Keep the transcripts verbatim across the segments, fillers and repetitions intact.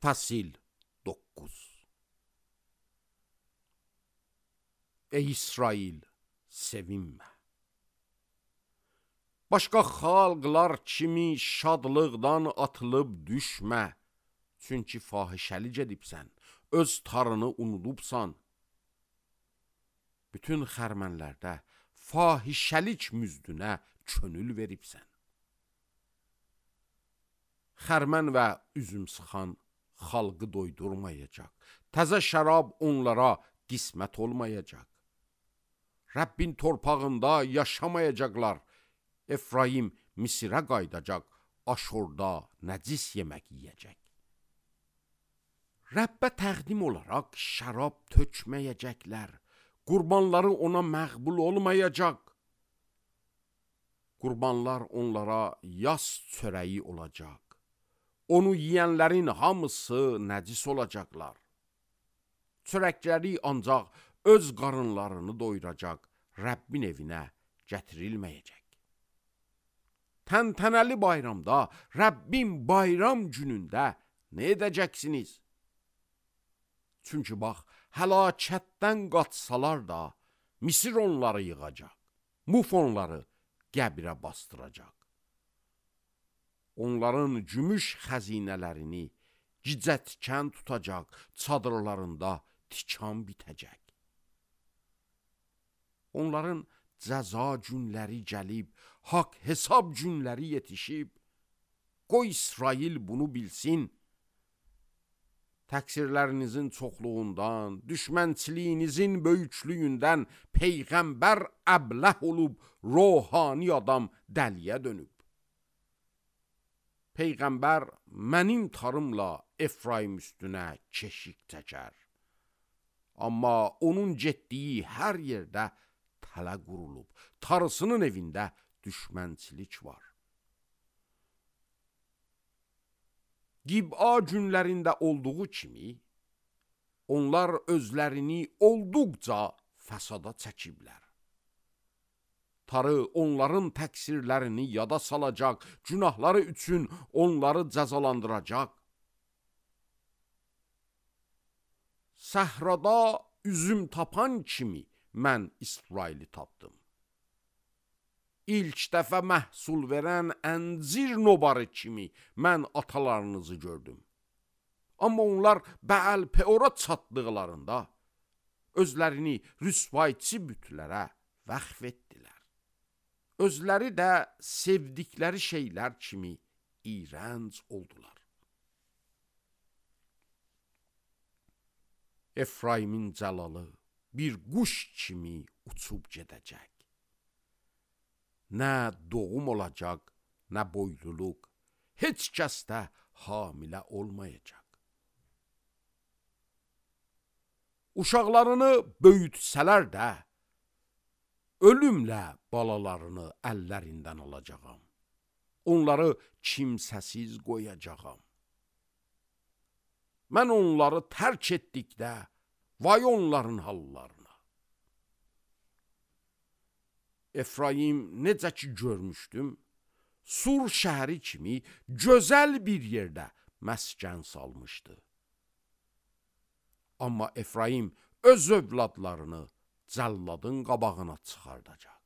Fəsil doqquz. Ey İsrail, sevinmə. Başqa xalqlar kimi şadlıqdan atılıb düşmə. Çünki fahişəli gedibsən, öz tarını unudubsan. Bütün xərmənlərdə fahişəlik müzdünə könül veribsən. Xərmən və üzüm sıxan xalqı doydurmayacaq. Təzə şərab onlara qismət olmayacaq. Rəbbin torpağında yaşamayacaqlar. Efraim Misirə qaydacaq, Aşurda nəcis yemək yiyəcək. Rəbbə təqdim olaraq şərab tökməyəcəklər. Qurbanları ona məqbul olmayacaq. Qurbanlar onlara yas çörəyi olacaq. Onu yiyənlərin hamısı nəcis olacaqlar. Çörəkləri ancaq öz qarınlarını doyuracaq, Rəbbin evinə gətirilməyəcək. Təntənəli bayramda, Rəbbin bayram günündə nə edəcəksiniz? Çünki bax, həlakətdən qaçsalar da, Misir onları yığacaq, Muf onları qəbirə bastıracaq. Onların gümüş xəzinələrini gicətkən tutacaq, çadırlarında tikan bitəcək. Onların cəza günləri gəlib, haqq hesab günləri yetişib. Qoy İsrail bunu bilsin. Təqsirlərinizin çoxluğundan, düşmənçiliyinizin böyüklüyündən Peyğəmbər əbləh olub, ruhani adam dəliyə dönüb. Peyğəmbər mənim tarımla Efraim üstünə keşik çəkər. Amma onun getdiyi hər yerdə tələ qurulub, tarısının evində düşmənçilik var. Qib'a günlərində olduğu kimi, onlar özlərini olduqca fəsada çəkiblər. Tarı onların təqsirlərini yada salacaq, günahları üçün onları cəzalandıracaq. Səhrada üzüm tapan kimi mən İsraili tapdım. İlk dəfə məhsul verən əncir nobarı kimi mən atalarınızı gördüm. Amma onlar Bəəl-Peora çatdıqlarında özlərini rüsvayçı bütlərə vəqf etdilər. Özləri də sevdikləri şeylər kimi iyrənc oldular. Efraimin cəlalı bir quş kimi uçub gedəcək. Nə doğum olacaq, nə boyluluq, heç kəs də hamilə olmayacaq. Uşaqlarını böyütsələr də, ölümlə balalarını əllərindən alacağam. Onları kimsəsiz qoyacağam. Mən onları tərk etdikdə, vay onların hallarına. Efraim necə ki görmüşdüm, Sur şəhəri kimi gözəl bir yerdə məskən salmışdı. Amma Efraim öz övladlarını cəlladın qabağına çıxardacaq.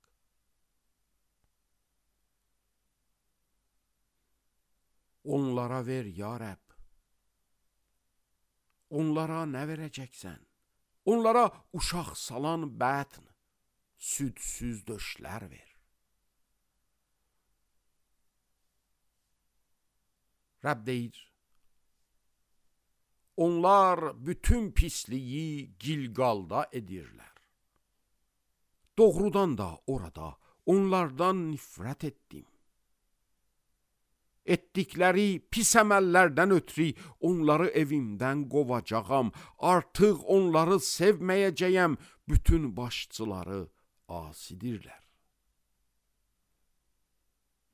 Onlara ver, ya Rəbb. Onlara nə verəcəksən? Onlara uşaq salan bətn, südsüz döşlər ver. Rəbb deyir, onlar bütün pisliyi Gilgalda edirlər. Doğrudan da orada onlardan nifrət etdim. Etdikləri pis əməllərdən ötürü onları evimdən qovacağam. Artıq onları sevməyəcəyəm. Bütün başçıları asidirlər.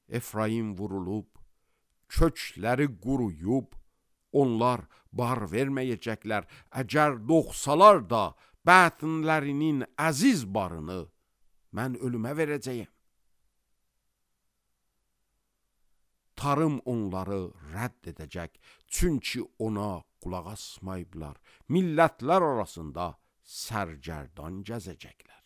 Efraim vurulub, kökləri quruyub, onlar bar verməyəcəklər. Əgər doğsalar da bətnlərinin əziz barını mən ölümə verəcəyəm. tarım onları rədd edəcək. Çünki ona qulaq asmayıblar. Millətlər arasında sərgərdan gəzəcəklər.